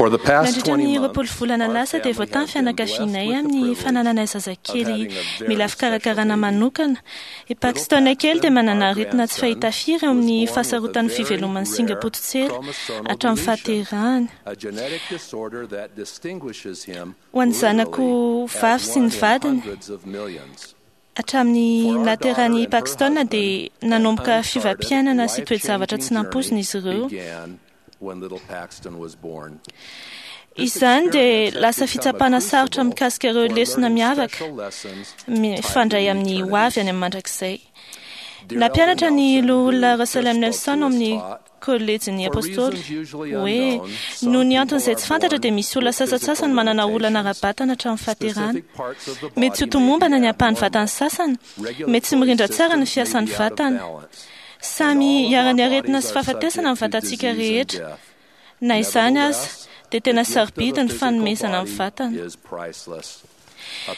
Nandritra ny 20 volana lasa dia voatahy ny fianakavianay amin'ny fanananay zazakely mila fikarakarana manokana. I Paxton kely dia manana aretina tsy fahita firy eo amin'ny fahasarotan'ny fiveloman'ny singa-pototsela hatramin'ny fahaterahany. Ho an'ny zanako vavy sy ny vadiny, hatramin'ny nahaterahan'i Paxton dia nanomboka fiovam-piainana sy toe-javatra tsy nampoizina izy ireo. Izany dia lasa fitsapana sarotra mikasika ireo lesona miavaka mifandray amin'ny hoavy any amin'ny mandrakizay. Nampianatra ny Loholona Russell M. Nelson ao amin'ny Kôlejin'ny Apôstôly hoe noho ny antony izay tsy fantatra dia misy olona sasantsasany manana olana ara-batana hatramin'ny fahaterahana. Mety tsy ho tomombana ny ampahan'ny vatan'ny sasany, mety tsy mirindra tsara ny fiasan'ny vatana. Samy iharan'ny aretina sy fahafatesana ny vatantsika rehetra. Na izany aza, dia tena sarobidy ny fanomezana ny vatana.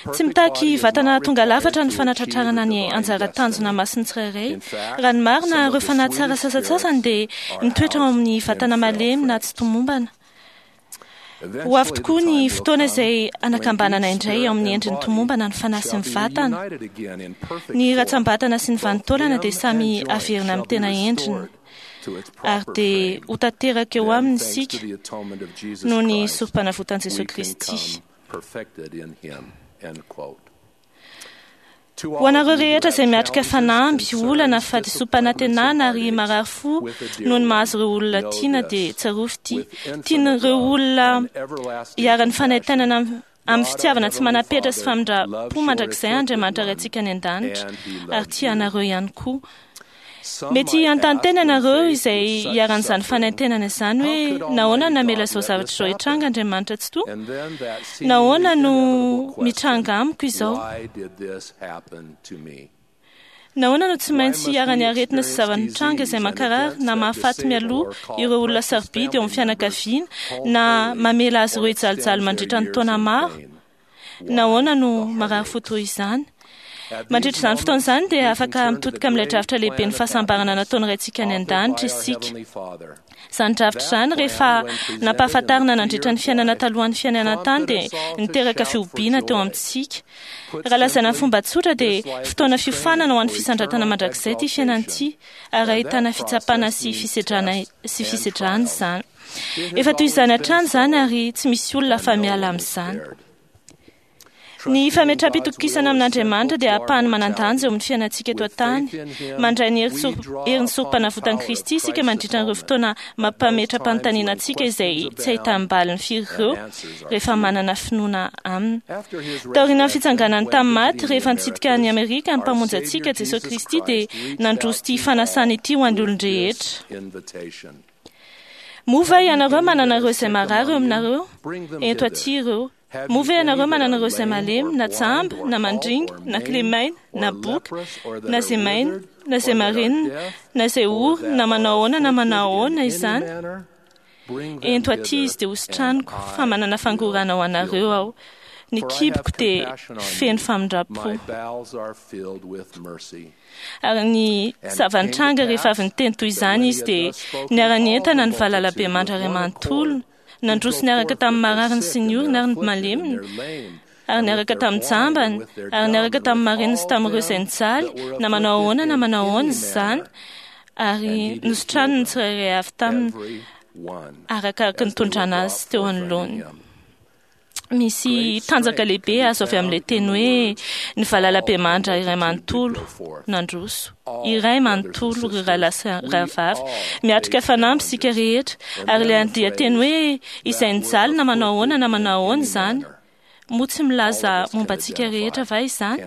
Tsy mitaky vatana tonga lafatra ny fanatratrarana ny anjara tanjona masin'ny tsirairay. Raha ny marina, ireo fanahy tsara sasantsasany dia mitoetra ao amin'ny vatana malemy na tsy tomombana. Ho avy tokoa ny fotoana izay anakambanana indray ao amin'ny endriny tomombana ny fanahy sy ny vatana. Ny ratsambatana sy ny vanin-taolana dia samy averina amin'ny tena endriny, ary dia ho tanteraka eo aminy isika noho ny sorompanavotan'i Jesoa Kristy. Ho anareo rehetra izay miatrika fanamby, olana, fahadisoam-panantenana ary marary fo noho ny mahazo ireo olona tiana dia tsarovy ity, tian'ireo olona iharan'ny fanaintainana amin'ny fitiavana tsy manam-petra sy famindram-po mandrakizay Andriamanitra Raintsika any an-danitra ary tia anareo ihany koa. Mety hanontany tena ianareo izay iharan'izany fanaintainana izany hoe, 'Nahoana no namela izao zavatra izao hitranga Andriamanitra Tsitoha? Nahoana no mitranga amiko izao? Nahoana no tsy maintsy iharan'ny aretina sy zava-mitranga izay mankarary na mahafaty mialoha ireo olona sarobidy eo amin'ny fianakaviana na mamela azy ireo hijalijaly mandritra ny taona maro? Nahoana no marary fo toy izany? Mandritra izany fotoana izany dia afaka mitodika amin'ilay drafitra lehiben'ny fahasambarana nataon'ny Raintsika any an-danitra isika. Izany drafitra izany, rehefa nampahafantarina nandritra ny fiainana talohan'ny fiainana an-tany, dia niteraka fihobiana teo amintsika. Raha lazaina amin'ny fomba tsotra dia fotoana fiofanana ho an'ny fisandratana mandrakizay ity fiainana ity, ary ahitana fitsapana sy fisedrana sy fisedrana izany. Efa toy izany hatrany izany ary tsy misy olona afa-miala amin'izany. Ny fametraham-pitokisana amin'Andriamanitra dia ampahany manan-danja eo amin'ny fiainantsika eto an-tany. Mandray ny herin'ny sorompanavotan'i Kristy isika mandritra ireo fotoana mampametra-panontaniana antsika izay tsy ahitam-baliny firy ireo rehefa manana finoana Aminy. Taorian'ny fitsanganany tamin'ny maty, rehefa nitsidika an'i Amerika ny Mpamonjy antsika, Jesosy Kristy, dia nandroso ity fanasana ity ho an'ny olon-drehetra. Moa va ianareo manana ireo izay marary eo aminareo? Ento aty ireo. Moa ve ianareo manana ireo izay malemy, na jamba, na mandringa, na kilemaina, na boka, na izay maina, na izay marenina, na izay ory, na manao ahoana na manao ahoana izany? Ento aty izy dia hositraniko, fa manana fangorahana ho anareo aho. Ny kiboko dia feno famindram-po. Ary ny zava-nitranga rehefa avy niteny toy izany izy dia niara-nientana ny valalabemandry iray manontolo, nandroso niaraka tamin'ny marariny sy ny oriny ary ny maleminy, ary niaraka tamin'ny jambany, ary niaraka tamin'ny mareniny sy tamin'ireo izay nijaly, na manao ahoana na manao ahoana izany, ary nositraniny ny tsirairay avy taminy arakaraka ny nitondrana azy teo anoloany. Misy tanjaka lehibe azo avy amin'ilay teny hoe ny valalabemandra iray manontolo nandroso. Iray manontolo ry rahalahy sy rahavavy. Miatrika fanamby isika rehetra. Ary ilay andian-teny hoe izay nijaly na manao ahoana na manao ahoana izany, moa tsy milaza momba antsika rehetra va izany?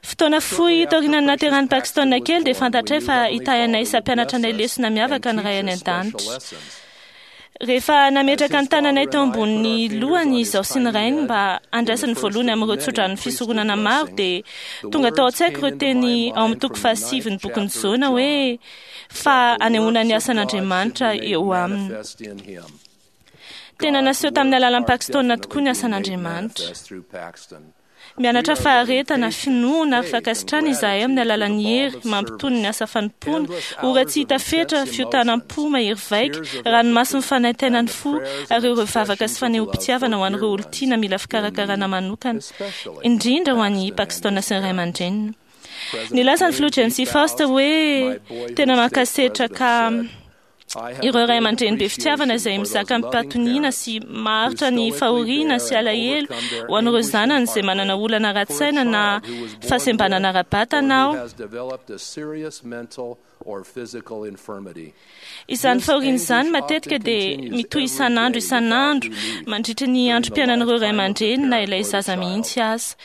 Fotoana fohy taorian'ny nahaterahan'i Paxton kely dia fantatray fa hitahy anay sy hampianatra anay lesona miavaka ny Ray any An-danitra. Rehefa nametraka ny tananay teo ambonin'ny lohany izaho sy ny rainy mba handraisany voalohany amin'ireo tsodranon'ny fisoronana maro dia tonga tao an-tsaiko ireo teny ao amin'ny toko fahasivin'ny bokin'i Jona hoe fa anehoana ny asan'Andriamanitra eo aminy. Tena naseho tamin'ny alalan'i Paxton tokoa ny asan'Andriamanitra. Mianatra faharetana, finoana ary fankasitrahana izahay amin'ny alalan'ny hery mampitony ny asa fanompoana, ora tsy hita fetra, fiotanam-po mahery vaika, ranomason'ny fanaintainan'ny fo, ary ireo vavaka sy fanehoam-pitiavana ho an'ireo olon-tiana mila fikarakarana manokana, indrindra ho an'i Paxton sy ny ray aman-dreniny. Nilaza ny filoha James E. Faust hoe tena mankasitraka ireo ray aman-dreny be fitiavana izay mizaka amim-pahatoniana sy maharitra ny fahoriana sy alahelo ho an'ireo zanany izay manana olana ara-tsaina na fahasembanana ara-batana aho. Izany fahoriana izany matetika dia mitohy isan'andro isan'andro mandritra ny androm-piainan'ireo ray aman-dreny na ilay zaza mihitsy aza.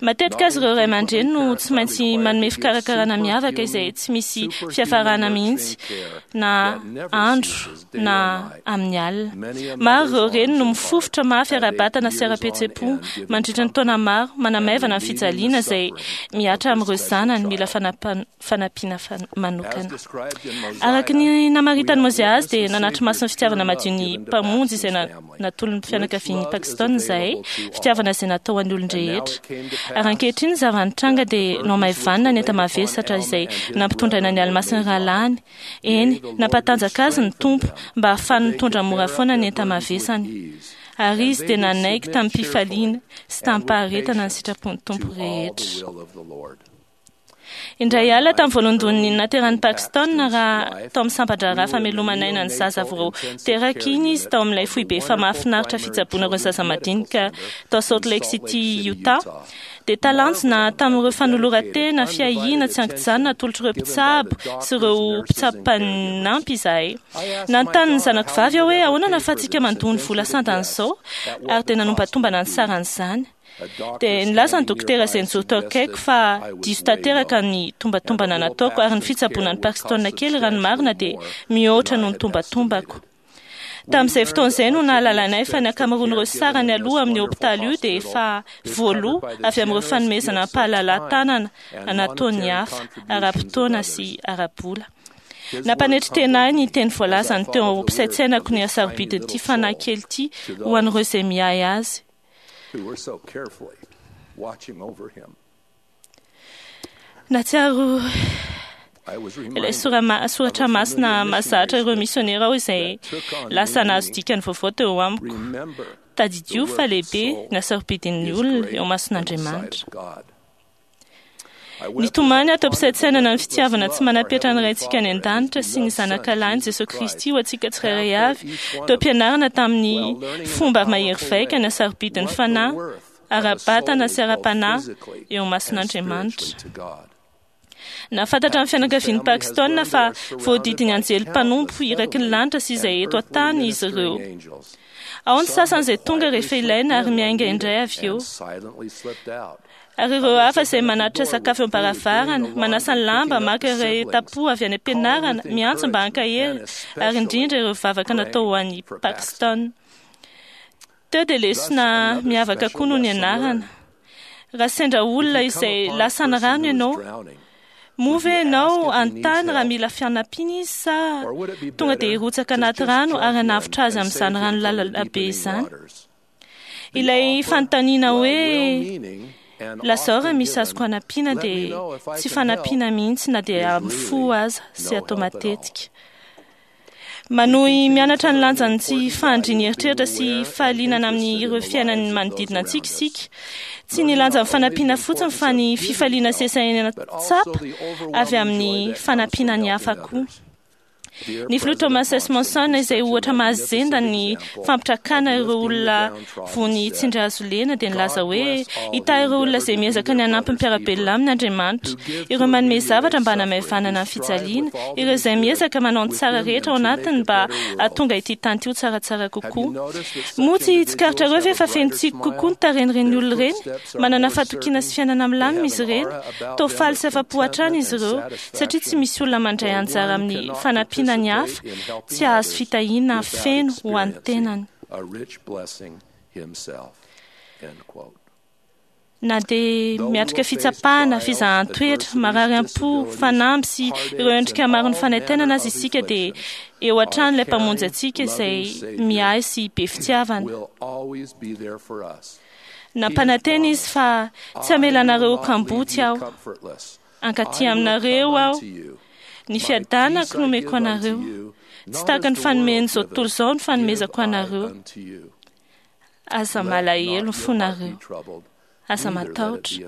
Matetika aza ireo ray aman-dreny no tsy maintsy manome fikarakarana miavaka izay tsy misy fiafarana mihitsy na andro na amin'ny alina. Maro ireo reny no mifofotra mafy ara-batana sy ara-pihetseham-po mandritra ny taona maro, manamaivana ny fijaliana izay mihatra amin'ireo zanany mila fanampiana manokana. Araka ny namaritan'i Mozia azy dia nanatri-maso ny fitiavana madio ny Mpamonjy izay natolon'ny fianakavian'i Paxton izahay, fitiavana izay natao an'ny olon-drehetra. Ary ankehitriny ny zava-nitranga dia nohamaivanina ny enta-mavesatra izay nampitondraina ny alimasin'ny rahalahiny. Eny, nampatanjaka azy ny Tompo mba hahafahany mitondra mora foana ny enta-mavesany. Ary izy dia nanaiky tamim-pifaliana sy tamim-paharetana ny sitrapon'ny Tompo rehetra. Indray alina tamin'ny voalohandohan'ny nateran'i Paxton, raha tao amin'ny sampan-draharaha famelomana aina ny zaza vao teraka iny izy tao amin'ilay foibe efa mahafinaritra fitsaboana ireo zaza madinika tao Salt Lake City, Utah, dia talanjona tamin'ireo fanoloran-tena fiahiana tsy an-kijanona atolotr'ireo mpitsabo sy ireo mpitsabo mpanampy izahay. Nanontany ny zanako vavy aho hoe ahoana no ahafahantsika mandoa ny vola sandan'izao, ary dia nanombatombana ny saran'izany. Dia nilaza ny dokotera izay nijoro teo akaiko fa diso tanteraka ny tombatombana nataoko ary ny fitsaboana an'i Paxton kely raha ny marina dia mihoatra noho ny tombatombako. Tamin'izay fotoana izay no nahalalanay fa ny ankamaroan'ireo sarany aloha amin'ny hopitaly io dia efa voaloa avy amin'ireo fanomezana am-pahalalahan-tanana nataon'ny hafa, ara-potoana sy ara-bola. Nampanetry tena ahy ny teny voalazany teo am-pisaintsainako ny hasarobidin'ity fanahy kely ity ho an'ireo izay miahy azy. who were so carefully watching over him. Nahatsiaro I was ilay reminded soratra masina mahazatra ireo misionera aho izay lasa nahazo dikany vaovao teo amiko. remember Tadidio fa lehibe ny hasarobidin'ny is olona great eo in the sight mason'Andriamanitra. of God. Ny tomany ato am-pisaintsainana ny fitiavana tsy manam-petra ny Raintsika any an-danitra sy ny Zanakalahiny Jesosy Kristy ho antsika tsirairay avy teo am-pianarana tamin'ny fomba mahery vaika ny hasarobidin'ny fanahy ara-batana sy ara-panahy eo mason'Andriamanitra. Nahafantatra ny fianakavian'i Paxton fa voadidin'ny anjely mpanompo iraky ny lanitra sy izay eto an-tany izy ireo. Ao ny sasany izay tonga rehefa ilaina ary miainga indray avy eo. Ary ireo hafa izay manatitra sakafo eo am-baravarana, manasa ny lamba, maka iray tampo avy any am-pianarana, miantso mba hankahery, ary indrindra ireo vavaka natao ho an'i Paxton. Teo dia lesona miavaka koa no nianarana. Raha sendra olona izay lasa ny rano ianao, moa ve ianao hanontany raha mila fanampiana izy sa tonga dia hirotsaka anaty rano ary hanavotra azy amin'izany rano lalina be izany? Ilay fanontaniana hoe lazao raha misy azoko hanampiana dia tsy fanampiana mihitsy na dia amin'ny fo aza sy atao matetika. Manohy mianatra ny lanjan'ny tsy fahandrian'ny eritreritra sy fahalinana amin'ireo fiainan'ny manodidina antsika isika. Tsy ny lanjan'ny fanampiana fotsiny fa ny fifaliana sy esaina tsapa avy amin'ny fanampiana ny hafa koa. Ny filoha Thomas S. Monson izay ohatra mahazenda ny fampitrakana ireo olona vony tsindry hazo lena dia nilaza hoe hita ireo olona izay miezaka ny hanampy ny mpiara-belona aminy Andriamanitra, ireo manome zavatra mba hanamaivanana ny fijaliana, ireo izay miezaka manao ny tsara rehetra ao anatiny mba hahatonga ity tany ity ho tsaratsara kokoa. Moa tsy tsikaritrareo ve fa feno tsiky kokoa ny tarehin'ireny olona ireny? Manana fahatokiana sy fiainana milamina izy ireny, toa faly sy afa-po hatrany izy ireo, satria tsy misy olona mandray anjara amin'ny fanampiana ny hafa tsy hahazo fitahiana feno ho an'ny tenany. A rich blessing himself. End quote. Na dia miatrika fitsapana, fizahan-toetra, marary am-po, fanamby sy ireo endrika maro ny fanaintainana aza isika dia eo hatrany ilay Mpamonjy antsika izay miahy sy be fitiavana. Will always be there for us. Nampanantena izy fa tsy hamela anareo ho kamboty aho. Hankaty aminareo aho. Ny fiadanako no omeko anareo. Tsy tahaka ny fanomen'izao tontolo izao ny fanomezako anareo. Aza malahelo ny fonareo. Aza matahotra.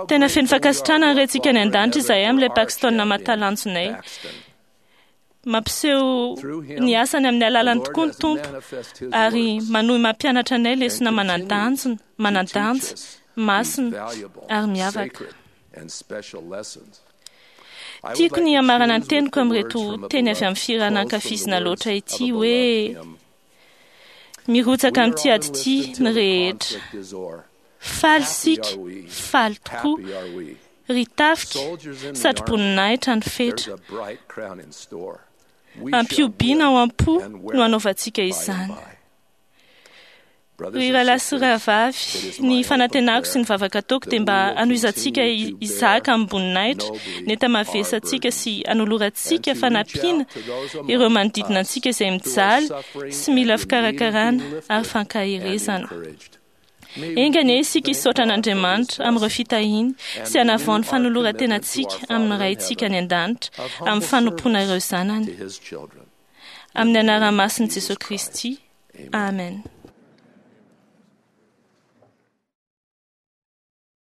Tena feno fankasitrahana ny Raintsika any an-danitra izahay amin'ilay Paxton mahatalanjonay. Mampiseho ny asany amin'ny alalany tokoa ny Tompo ary manohy mampianatra anay lesona manan-danjona, manan-danja, masina ary miavaka. Tiako ny hamarana ny teniko amin'ireto teny avy amin'ny fihirana ankafizina loatra ity hoe mirotsaka amin'ity ady ity ny rehetra. Faly isika, faly tokoa. Ry tafika, satroboninahitra ny fetra. Ampihobiana ao am-po no hanaovantsika izany. Ry rahalahy sy rahavavy, ny fanantenako sy ny vavaka ataoko dia mba hanohizantsika hizaka amim-boninahitra ny enta-mavesantsika sy hanolorantsika fanampiana ireo manodidina antsika izay mijaly sy mila fikarakarana ary fankaherezana. Enga anie isika hisaotra an'Andriamanitra amin'ireo fitahiany sy hanavao ny fanoloran-tenantsika amin'ny Raintsika any an-danitra amin'ny fanompoana ireo zanany. Amin'ny anaran'ny masin'i Jesosy Kristy. Amen.